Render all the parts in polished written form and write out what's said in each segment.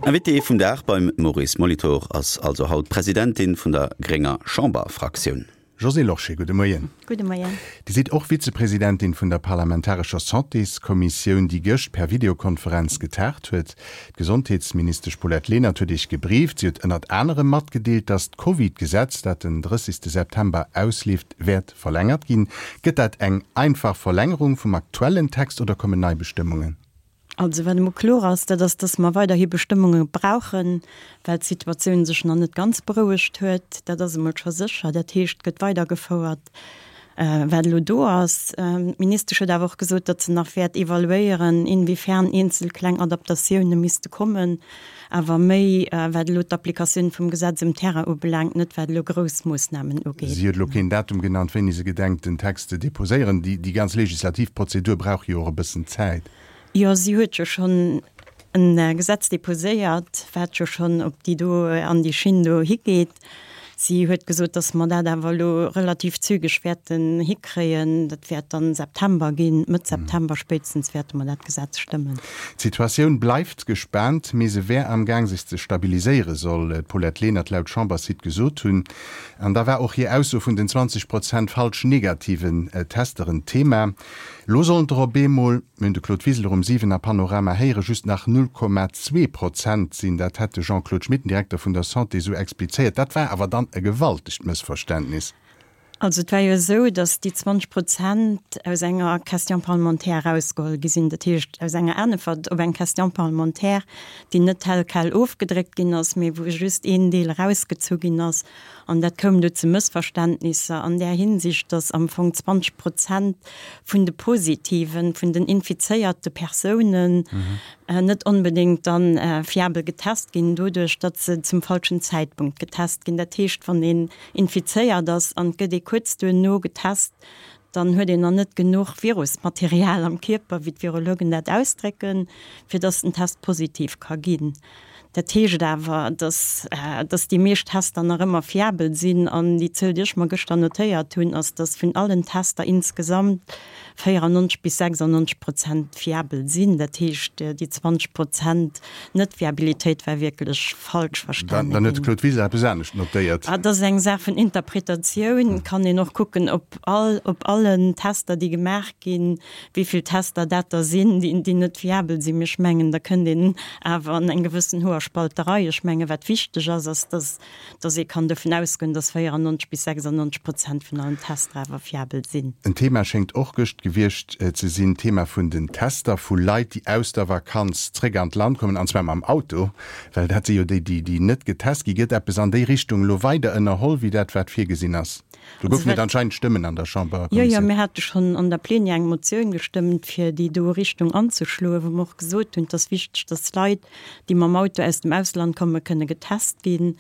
Invité vum Dag beim Maurice Molitor ass also haut d'Presidentin vun der grénger Chamberfraktioun. Josée Lorsché, gudde Moien. Gudde Moien. Dir sidd och Vizepresidentin vun der parlamentarescher Santéskommissioun, déi gëscht per Videokonferenz getagt huet. D'Gesondheetsministesch Paulette Lenert huet Iech gebrieft. Si huet ënnert anerem matgedeelt, datt d'Covid-Gesetz, dat den 30 September ausleeft, wäert verlängert ginn. Gëtt dat eng einfach Verlängerung vum aktuellen Text oder kommen nei Bestëmmungen? Also wat emol kloer ass, dat ass, dass mer weiderhi Bestëmmunge brauchen, well d'Situatioun sech nach net ganz berouegt huet. Dat ass emol scho sécher. Dat heescht, et gëtt weidergefouert, wat elo do ass. D'Ministesch huet awer och gesot, datt se nach wäert evaluéieren, inwiefern eenzel kleng Adaptatioune misste kommen, awer méi wat elo d'Applikatioun vum Gesetz um Terrain ubelaangt, net wat elo grouss Moossnamen ugeet. Si huet elo keen Datum genannt, wéini se gedenkt, den Text ze deposéieren. Déi ganz legislativ Prozedur brauch jo och e bëssen Zäit. Jo, si huet jo schonn e Gesetz deposéiert, wat jo schonn op déi do, an déi Schinn do higeet. Si huet gesot, datt mer dat awer elo relativ zügeg wäerten hikréien. Dat wäert dann September ginn, Mëtt September spéitstens wäerte mer dat Gesetz stëmmen. D'Situatioun bleift gespaant, mee se wär am Gaang sech ze stabiliséieren, soll d'Paulette Lenert laut Chamberssite gesot hunn. An da war och hir Ausso vun den 20 Prozent falsch negativen Tester en Thema. Elo sollen der op eemol, mir hunn de Claude Wiseler um 7 a Panorama héieren, just nach 0,2 Prozent sinn. Dat hätt de Jean-Claude Schmit, den Direkter vun der Santé, esou explizéiert. Dat war awer dann e gewaltegt Mëssverständnis. Also et war jo esou, datt déi 20 Prozent aus enger Question parlementaire erausgeholl gi sinn, dat heescht aus enger Äntwert op eng Question parlementaire, déi net tel quel ofgedréckt ginn ass, mee wou just een Deel erausgezu ginn ass. An dat koum du zu Mëssverständnisser an där Hinsicht, datt am Fong 20 Prozent vun de positiven, vun den infizéierte Persounen net onbedéngt dann fiabel getest ginn, doduerch datt se zum falschen Zäitpunkt getest ginn. Dat heescht, wann een infizéiert ass an et gëtt ee kuerz duerno getest, dann huet een nach net genuch Virusmaterial am Kierper, wéi d'Virologen dat ausdrécken, fir datt den Test positiv ka ginn. Dat heescht awer, datt datt déi meescht Tester nach ëmmer fiabel sinn. An déi Zuel, déi ech mer gëschter notéiert hunn, ass, datt vun allen Tester insgesamt 94 bis 96 Prozent fiabel sinn. Dat heescht, déi 20 Prozent Net-Fiabilitéit war wierklech falsch verstane ginn. Dann huet de Claude Wiseler eppes anescht notéiert. Dat ass eng Saach vun Interpretatioun. Kann een och kucken, op all, op allen Tester, déi gemaach ginn, wéi vill Tester dat der sinn, déi net fiabel sinn. Mee ech mengen, da kënnt een awer an eng gewëssen Hoerspalterei. Ech mengen, wat wichteg ass, ass, dass, dass ee kann dovun ausgoen, dass 94 bis 96 Prozent vun allen Tester awer fiabel sinn. En Thema schéngt och gëscht gewiescht ze sinn, d'Thema vun den Tester vu Leit, déi aus der Vakanz zréck an d'Land kommen, an zwar mam Auto, well dat si jo déi, déi net getest ginn. Gëtt eppes an déi Richtung elo weider ënnerholl wéi dat, wat virgesinn ass? Do goufen et anscheinend Stëmmen an der Chamberkommissioun. Jo, jo, mir hate schonn an der Plenière eng Motioun gestëmmt, fir déi do Richtung anzeschloen, wou mer och gesot hunn, et ass wichteg, dass Leit, déi mam Auto aus dem Ausland kommen, kënne getest ginn.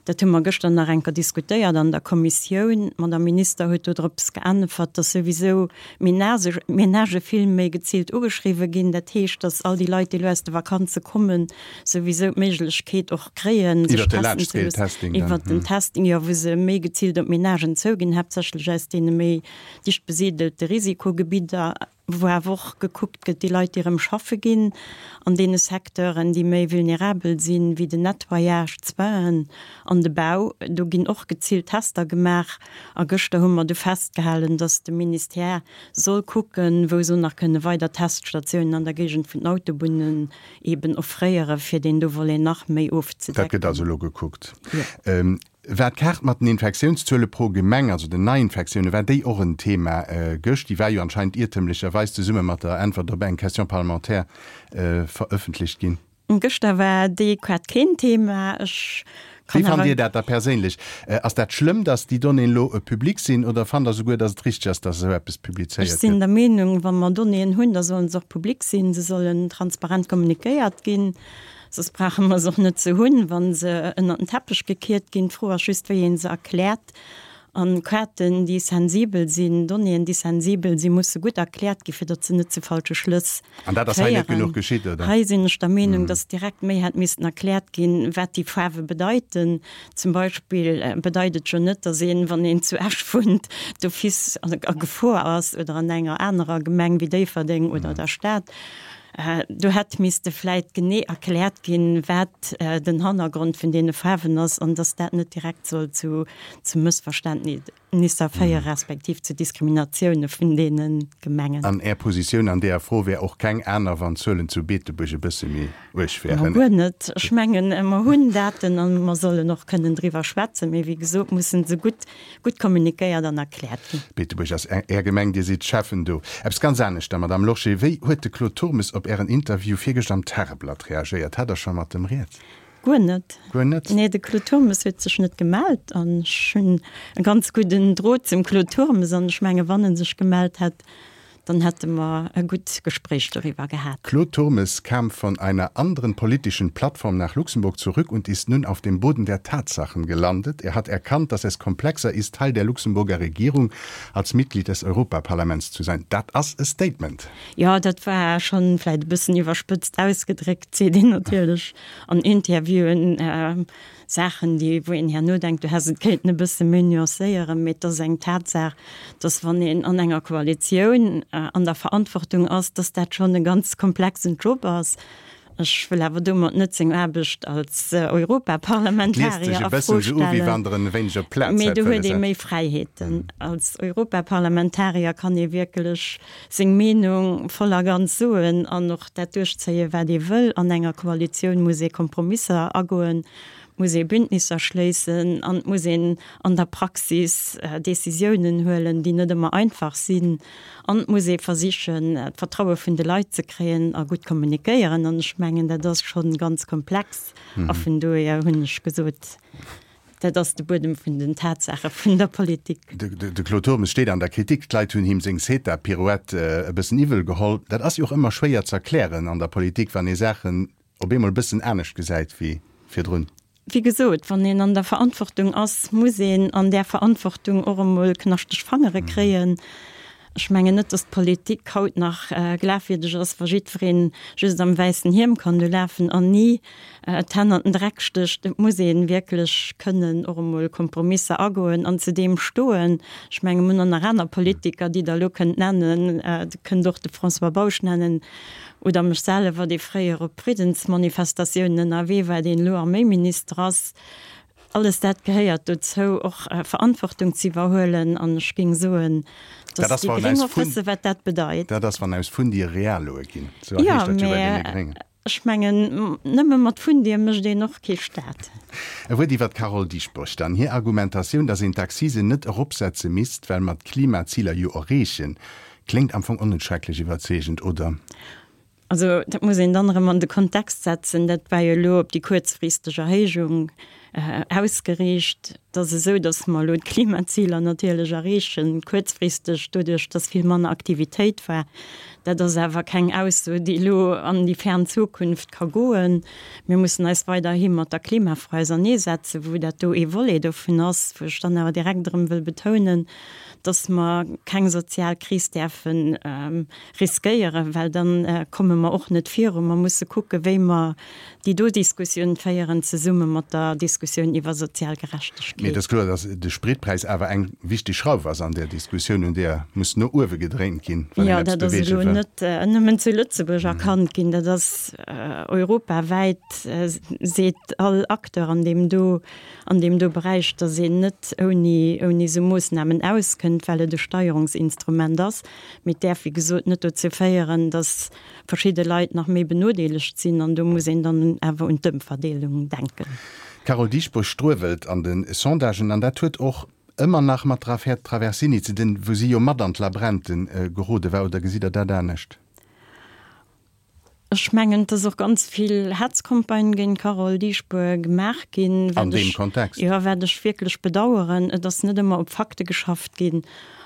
Dat hu mer gëschter nach eng Kéier diskutéiert an der Kommissioun. D'Madame Minister huet dodrops geäntwert, dass souwisou Ménagë vill méi geziilt ugeschriwwe ginn. Dat heescht, dass all déi Leit, déi elo aus de Vakanze kommen, souwisou d'Méiglechkeet och kréien, sech testen ze loossen, iwwert den Testing, jo, wou se méi geziilt op d'Menagen zouginn, haaptsächlech aus deene méi dicht besiedelte Risikogebidder, wou awer och gekuckt gëtt, déi Leit, déi erëm schaffe ginn an deene Secteuren, déi méi vulnerabel sinn, wéi den Nettoyage, d'Soinen an de Bau, do ginn och geziilt Tester gemaach. A gëschter hu mer du festgehalen, dass de Ministère soll kucken, wou se nach kënne weider Teststatiounen an der Géigend vun den Autobunnen eben offréieren, fir deen do Volet nach méi ofzedecken. Dat gëtt also elo gekuckt. Jo. War d'Kaart mat den Infektiounszuele pro Gemeng, also den Neiinfektiounen, war déi och en Thema gëscht? Déi war jo anscheinend iertëmlecherweis zesumme mat der Äntwert op eng Question parlementaire verëffentlecht ginn. Gëschter war déi Kaart keen Thema. Ech Wéi fannt Dir dat da perséinlech? Ass dat schlëmm, datt déi Donnéeën elo public sinn oder fannt Der souguer, datt et richteg ass, datt esou eppes publizéiert gëtt? Ech sinn der Meenung, wa mer Donnéeën hunn, da sollen se och public sinn. Se sollen transparent kommunikéiert ginn. Soss brauche mer se och net ze hunn, wa se ënnert den Teppech gekiert ginn. D'Fro ass just, wéi ee se erkläert. An Kaarten, déi sensibel sinn, Donnéeën, déi sensibel sinn, musse gutt erkläert ginn, fir datt se net zu falsche Schlëss féieren. An dat ass hei net genuch geschitt, oder? Hei sinn ech der Meenung, datt direkt méi hätt missten erkläert ginn, wat déi Faarwe bedeiten. Zum Beispill bedeit et jo net, datt een, wann een zu Esch wunnt, d'office a Gefor ass oder an enger anerer Gemeng wéi Déifferdeng oder der Stad. Do hätt misste vläit genee erkläert ginn, wat den Hannergrond vun deene Faarwen ass an dass dat net direkt soll zu Mëssverständnisser féiere respektiv zu Diskriminatioune vun deene Gemengen. An Är Positioun an deeër Fro wär och keng aner, wann d'Zuelen zu Beetebuerg e bësse méi uerg wären? Ma guer net. Ech mengen, mer hunn Daten a mer sollen och kënnen driwwer schwätzen. Mee wéi gesot mussen se gutt gutt kommunikéiert an erkläert ginn. Beetebuerg ass Är Gemeng, Dir sidd Schäffen do. Eppes ganz anescht da, Madame Lorsché, Wéi huet de Claude Turmes op Ären Interview virgëscht am Tageblatt reagéiert? Hat Der scho mat em rieds? Guer net. Guer net? Nee, de Claude Turmes huet sech net gemellt an ech hunn e ganz gudden Drot zum Claude Turmes an ech menge wann en sech gemellt hätt, Dann hätte mer e gutt Gespréich doriwwer gehat. Claude Turmes kam von einer anderen politischen Plattform nach Luxemburg zurück und ist nun auf dem Boden der Tatsachen gelandet. Er hat erkannt, dass es komplexer ist, Teil der Luxemburger Regierung als Mitglied des Europaparlaments zu sein. Dat ass e Statement. Jo, dat war schonn vläit e bëssen iwwerspëtzt ausgedréckt, seet een natierlech an Interviewen. Saachen, déi, wou een herno denkt, du häss et kéinten e bësse méi nuancéieren, mee et ass eng Tatsaach, dass wann een an enger Koalitioun an der Verantwortung ass, dass dat schonn e ganz komplexen Job ass. Ech wëll awer domat net seng Aarbecht als Europaparlamentarier a Fro stellen, mee do huet ee méi Fräiheeten. Als Europaparlamentarier kann ee wierklech seng Meenung voll a ganz soen an och dat duerchzéien, wat ee wëll. An enger Koalitioun muss ee Kompromisser agoen, muss ee Bündnisser schléissen an et muss een an der Praxis Décisiounen huelen, déi net ëmmer einfach sinn. An et muss ee versichen, d'Vertraue vun de Leit ze kréien a gutt kommunikéieren. An ech mengen, dat ass scho ganz komplex. A vun dohier hunn ech gesot, Dat ass de Buedem vun den Tatsaache vun der Politik. De Claude Turmes steet an der Kritik, d'Leit hunn him seng CETA-Pirouette e bëssen iwwel geholl. Dat ass jo och ëmmer schwéier z'erklären an der Politik, wann ee Saachen op eemol e bëssen anescht gesäit wéi virdrun. Wéi gesot, wann een an der Verantwortung ass, muss een an där Verantwortung och emol knaschteg Fangere kréien. Ech mengen net, datt d'Politik haut nach glafwierdeg ass, wa jiddwereen just am wäissen Hiem kann do lafen an ni d'Hänn an den Dreck stécht. Et muss ee wierklech kënnen och emol Kompromisser agoen an zu deem stoen. Ech menge mir hunn och nach aner Politiker, déi Der elo kënnt nennen. Der kënnt och de François Bausch nennen oder mech selwer, dee fréier op Friddensmanifestatiounen ënnerwee war, deen elo Arméiminister ass. Alles dat gehéiert dozou, och Verantwortung ze iwwerhuelen. An ech géing soen, datt déi Gréng och wësse wat dat bedeit. Dat ass, wann aus Fundie Realoe ginn. Esou heescht dat jo bei deene Gréngen. Ech mengen, nëmme mat Fundie mécht een och kee Staat. E Wuert iwwer d'Carole Dieschbourg dann. Hir Argumentatioun, datt een d'Accisen net eropsetze misst, well mer d'Klimaziler jo erreechen, kléngt am Fong och net schrecklech iwwerzeegend, oder? Also dat muss een dann erëm an de Kontext setzen. Dat war jo elo op déi kuerzfristeg Erhéijung ausgeriicht. Et ass esou, datt mer elo d'Klimaziler natierlech erreechen, kuerzfristeg, doduerch datt vill manner Aktivitéit war. Dat ass awer keng Ausso, déi elo an déi fern Zukunft ka goen. Mir mussen eis weiderhi mat der Klimafro auserneesetzen, wou dat do ee Volet dovun ass, wou ech dann awer direkt erëm wëll betounen, datt mer keng sozial Kris däerfen riskéieren, well dann komme mer och net virun. Mer musse kucken, wéi mer déi do Diskussioun féieren, zesumme mat der Diskussioun iwwer sozial Gerechtegkeet. Mee et ass kloer, datt de Spritpräis awer eng wichteg Schrauf ass an där Diskussioun, un där muss no uewe gedréint ginn, wann een eppes beweege wëll. Jo, dat ass elo net nëmmen zu Lëtzebuerg erkannt ginn, dat ass europawäit, seet all Acteur an deem do, an deem do Beräich, datt een net ouni, ouni esou Moossnamen auskënnt, well et e Steierungsinstrument ass. Mee et däerf, wéi gesot, net dozou féieren, datt verschidde Leit nach méi benodeelegt sinn. An do muss een dann awer un d'Ëmverdeelung denken. D'Carole Dieschbourg struewelt an de Sondagen an dat huet och ëmmer nach mat der Affär Traversini ze dinn, wou si jo mat an d'Labrente gerode war. Oder gesitt Der dat anescht? Ech mengen, et ass och ganz vill Hetzcampagne géint d'Carole Dieschbourg gemaach ginn, An wat deem ech, Kontext. jo, wat ech wierklech bedaueren. Et ass net ëmmer op Fakte geschafft ginn.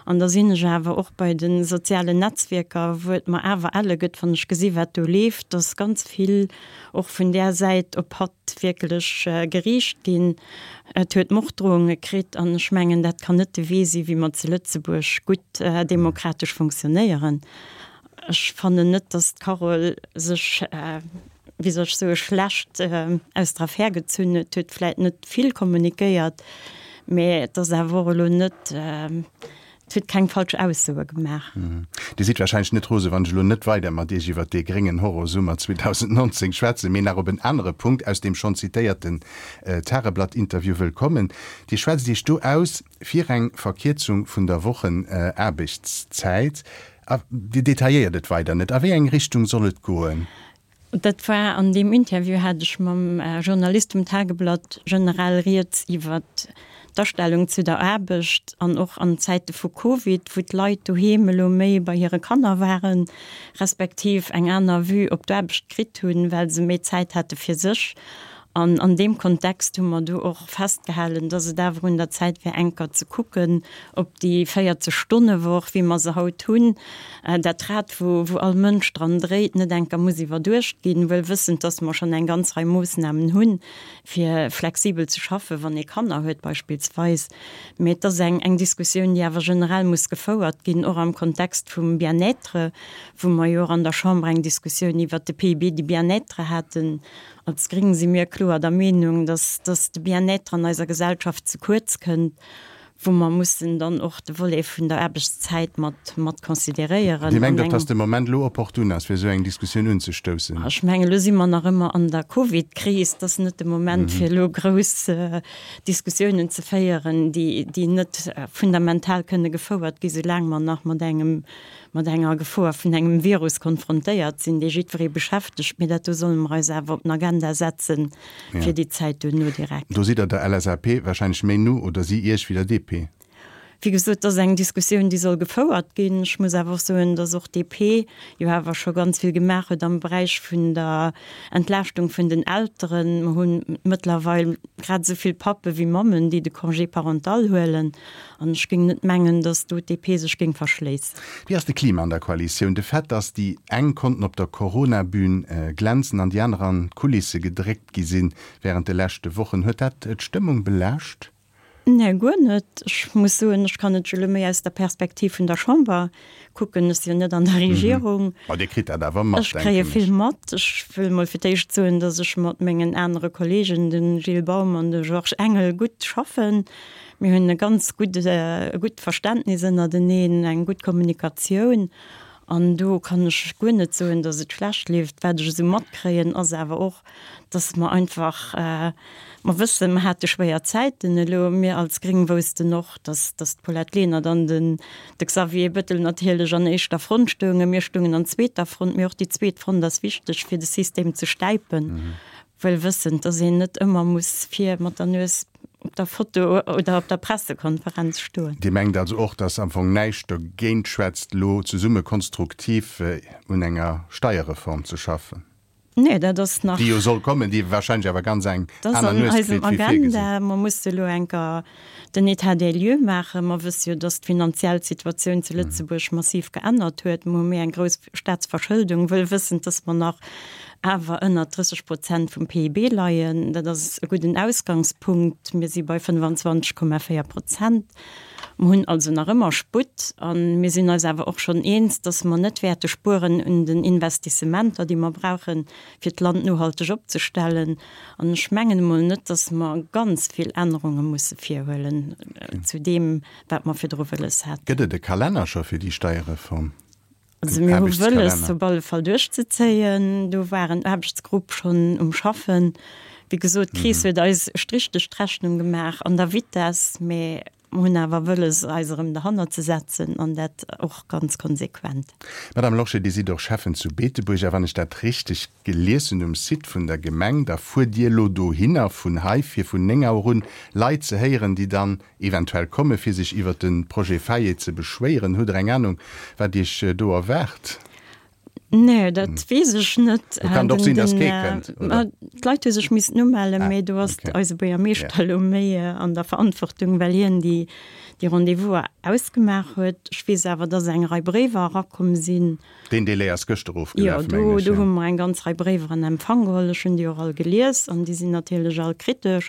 An da sinn ech awer och bei de sozialen Netzwierker, wou et mer awer elle gëtt, wann ech gesi wat do leeft, dass ganz vill och vun där Säit op hatt wierklech geriicht ginn. Et huet Morddrohunge kritt an ech mengen, dat kann net de Wee si wéi mer zu Lëtzebuerg gutt demokratesch funktionéieren. Ech fannen net, dass d'Carole sech, wéi soll ech soen, schlecht aus der Affär gezunn huet. Huet vläit net vill kommunikéiert, mä et ass awer och elo net. Et huet keng falsch Aussoe gemaach. Dir sidd wahrscheinlech net rose wann ech elo net weider mat Iech iwwert dee gréngen Horrorsummer 2019 schwätzen, mee nach op en anere Punkt aus deem schonn zitéierten Tageblatt-Interview wëll kommen. Dir schwätzt Iech do aus fir eng Verkierzung vun der Wochenaarbechtszäit. A Dir detailléiert et weider net. A wéi eng Richtung soll et goen? Dat war an deem Interview hat ech mam Journalist vum Tageblatt generell rieds iwwert d'Astellung zu der Aarbecht an och an Zäite vu Covid, wou d'Leit doheem elo méi bei hire Kanner waren, respektiv eng aner Vue op d'Aarbecht kritt hunn, well se méi Zäit hate fir sech. An an deem Kontext hu mer do och festgehalen, dass et awer un der Zäit wär, enker ze kucken, ob déi 40 Stonne-Woch, wéi mer se haut hunn, dat Rad, wou wou all Mënsch dran dréit, net enker muss iwwerduecht ginn, wuel wëssend, dass mer schonn eng ganz Rei Moossnamen hunn, fir flexibel ze schaffen, wann ee Kanner huet beispillsweis. Mee et ass eng eng Diskussioun, déi awer generell muss gefouert ginn, och am Kontext vum Bien-être, wou mer jo och an der Chamber eng Diskussioun iwwert de PIB du bien-être haten, Als Gréng si mir kloer der Meenung, dass, dass de Bien-être an eiser Gesellschaft ze kuerz kënnt, wou mer mussen dann och de Volet vun der Aarbechtszäit mat, mat consideréieren. Dir mengt och, dass de Moment elo opportun ass, fir esou eng Diskussioun unzestoussen? Ech mengen, elo si mer nach ëmmer an der Covid-Kris. Et ass net de Moment, fir elo grouss Diskussiounen ze féieren, déi, déi net fundamental kënne gefouert gi soulaang mer nach mat engem mat enger Gefor vun engem Virus konfrontéiert sinn, dee jiddweree beschäftegt, mee dat do solle mer eis awer op den Agenda setze fir déi Zäit duerno direkt. Do sidd Der der LSAP wahrscheinlech méi no oder si Iech wéi der DP? Wéi gesot, et ass eng Diskussioun, déi soll gefouert ginn. Ech muss awer och soen, datt och d'DP jo awer scho ganz vill gemaach huet am Beräich vun der Entlaaschtung vun den Elteren. Mer hu mëttlerweil grad esou vill Pappe wéi Mammen, déi de Congé parental huelen. An ech géing net mengen, datt do d'DP sech géing verschléissen. Wéi ass de Klima an der Koalitioun? De Fait, datt déi eng konnten op der Corona-Bühn glänzen an déi aner an d'Kulisse gedréckt gi sinn wärend de leschte Wochen, huet dat d'Stëmmung belaascht? Nee, guer net. Ech muss soen, ech kann et jo elo méi aus der Perspektiv vun der Chamber kucken. Ech si jo net an der Regierung. Ma Dir kritt dat awer mat, denken ech. Ech kréie vill mat. Ech wëll mol fir d'éischt soen, datt ech mat mengen anere Kollegen, de Gilles Baum an de Georges Engel, gutt schaffen. Mir hunn e ganz gutt, e gutt Verständnis ënnerteneen, eng gutt Kommunikatioun an do kann ech guer net soen, datt et schlecht leeft. Wat ech esou matkréien, ass awer och, datt mer einfach, mer wëssen, mer hate schwéier Zäiten elo. Mir als Gréng woussten och, datt, datt d'Paulette Lenert an den, de Xavier Bettel natierlech an éischter Front stoungen. Mir stoungen an zweeter Front, mee och déi zweet Front ass wichteg, fir de System ze stäipen, wuel wëssend, datt een net ëmmer muss vir mat der Nues op der Foto oder op der Pressekonferenz stoen. Dir mengt also och, datt am Fong näischt dogéint schwätzt, elo zesumme konstruktiv un enger Steierreform ze schaffen? Nee, dat ass nach. Déi jo soll kommen, déi wahrscheinlech awer ganz eng aner Nues kritt wéi virgesinn. Dat ass an eisem Agenda. Mer musse elo enker den État des lieux maachen. Mer wësse jo, datt d'finanziell Situatioun zu Lëtzebuerg massiv geännert huet. Mer hu méi eng grouss Staatsverschëldung, wëll wëssend, datt mer nach awer ënnert 30 Prozent vum PIB leien. Dat ass e gudden Ausgangspunkt. Mir si bei 25,4 Prozent. Mer hunn also nach ëmmer Sputt. A mir sinn eis awer och schonn eens, dass mer net wäerte spueren un den Investissementer, déi mer brauchen, fir d'Land nohalteg opzestellen. An ech mengen emol net, dass mer ganz vill Ännerunge musse virhuelen zu deem, wat mer virdru wëlles haten. Gëtt et e Kalenner scho fir déi Steierreform? Also mir hu wëlles op alle Fall duerchzezéien. Do war en Aarbechtsgrupp schonn um Schaffen. Wéi gesot, d'Kris huet eis e Strich duerch d'Rechnung gemaach an der Vitess, mä mer hunn awer wëlles eis erëm derhannert ze setzen an dat och ganz konsequent. Madame Lorsché, Dir sidd och Schäffen zu Beetebuerg a wann ech dat richteg gelies hunn um Site vun der Gemeng, da fuert Dir elo dohinner vun hei fir vun 9 Auer un Leit ze héieren, déi dann eventuell komme fir sech iwwert de Projet Faye ze beschwéieren. Hutt Der eng Anung, wat Iech do erwaart? Nee, dat weess ech net. Do kann et och sinn, datt kee kënnt, oder? D'Leit hu sech missten umellen, mee do ass eise Buergermeeschter elo méi an der Verantwortung, well hien déi Rendez-vous'er ausgemaach huet. Ech weess awer, datt eng Rei Bréiwer erakomm sinn. Deen Délai ass gëschter ofgelaf, mengen ech. Jo, do hu mer eng ganz Rei Bréiwer an Empfang geholl. Ech hunn déi och all gelies an déi sinn natierlech all kritesch.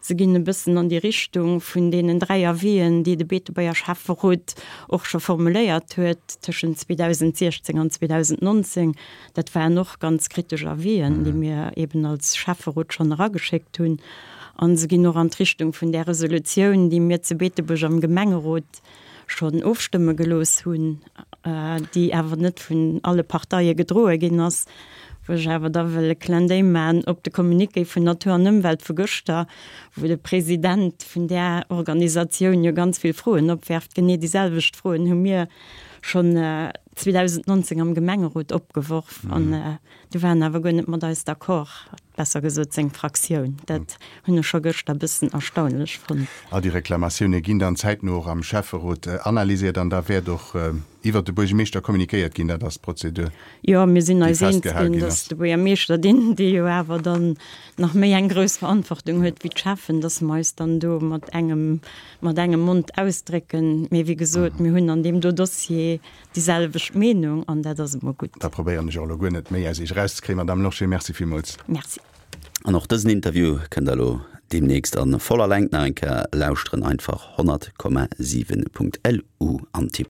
Se ginn e bëssen an déi Richtung vun deenen 3 Avisen, déi de Beetebuerger Schäfferot och scho formuléiert huet tëschent 2016 an 2019. Dat waren och ganz kritesch Avisen, déi mir eben als Schäfferot schonn erageschéckt hunn. A se ginn och an d'Richtung vun där Resolutioun, déi mir zu Beetebuerg am Gemengerot. schonn ofstëmme gelooss hunn, déi awer net vun alle Parteie gedroe ginn ass, wou ech awer da wëll e Clin d'œil maachen op de Communiqué vun Natur an Ëmwelt vu gëschter, wou de President vun där Organisatioun jo ganz vill Froen opwerft. Genee déi selwecht Froen hu mir schonn 2019 am Gemengerot opgeworf an du war en awer guer net mat eis d'accord, besser gesot seng Fraktioun. Dat hunn ech scho gëschter e bëssen erstaunlech fonnt. All déi Reklamatioune ginn dann zäitno och am Schäfferot analysiert an da wäert och iwwert de Buergermeeschter kommunikéiert ginn. Dat ass d'Prozedur, Jo, mir sinn eis eens ginn, datt de Buergermeeschter, deen, dee jo awer dann nach méi eng grouss Verantwortung huet wéi d'Schäffen, datt mer eis dann do mat engem, mat engem Mond ausdrécken. Mee wéi gesot, mir hunn an deem do Dossier déi selwecht Meenung an dat ass emol gutt. Da probéieren ech och elo guer net méi aus Iech erauszekréien, Madame Lorsché. Merci villmools. Merci. An och dësen Interview kënnt der elo deemnächst a voller Längt nach eng Kéier lauschteren. Einfach 100,7.lu antippen.